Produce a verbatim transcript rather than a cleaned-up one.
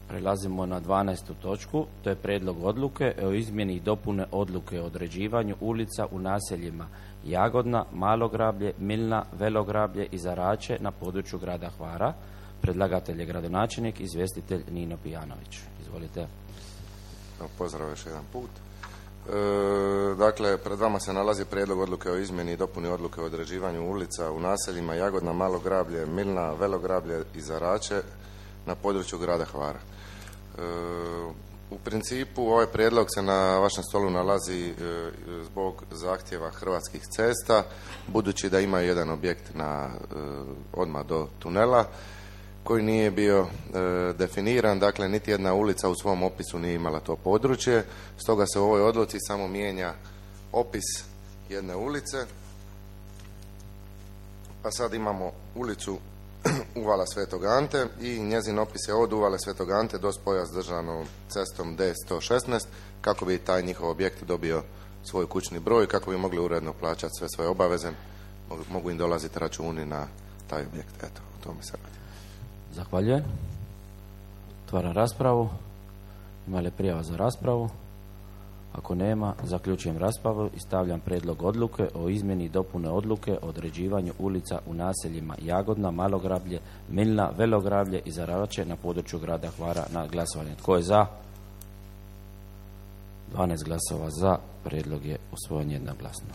Prelazimo na dvanaestu točku, to je prijedlog odluke o izmjeni i dopune odluke o određivanju ulica u naseljima Jagodna, Malograblje, Milna, Velograblje i Zarače na području grada Hvara. Predlagatelj je gradonačelnik, izvjestitelj Nino Pijanović. Izvolite. Pozdrav još jedan put. E, dakle, pred vama se nalazi prijedlog odluke o izmjeni i dopuni odluke o određivanju ulica u naseljima Jagodna, Malograblje, Milna, Velograblje i Zarače na području grada Hvara. E, u principu ovaj prijedlog se na vašem stolu nalazi e, zbog zahtjeva Hrvatskih cesta, budući da ima jedan objekt na e, odmah do tunela koji nije bio e, definiran, dakle niti jedna ulica u svom opisu nije imala to područje, stoga se u ovoj odluci samo mijenja opis jedne ulice. Pa sad imamo ulicu Uvala Svetog Ante i njezin opis je od Uvale Svetog Ante do spoja s državnom cestom D sto šesnaest, kako bi taj njihov objekt dobio svoj kućni broj, kako bi mogli uredno plaćati sve svoje obaveze, mogu im dolaziti računi na taj objekt. Eto, o tome se radi. Zahvaljujem. Otvaram raspravu. Ima li prijava za raspravu? Ako nema, zaključujem raspravu i stavljam prijedlog odluke o izmjeni i dopune odluke o određivanju ulica u naseljima Jagodna, Malograblje, Milna, Velograblje i Zarače na području grada Hvara na glasovanje. Tko je za? dvanaest glasova za. Prijedlog je usvojen jednoglasno.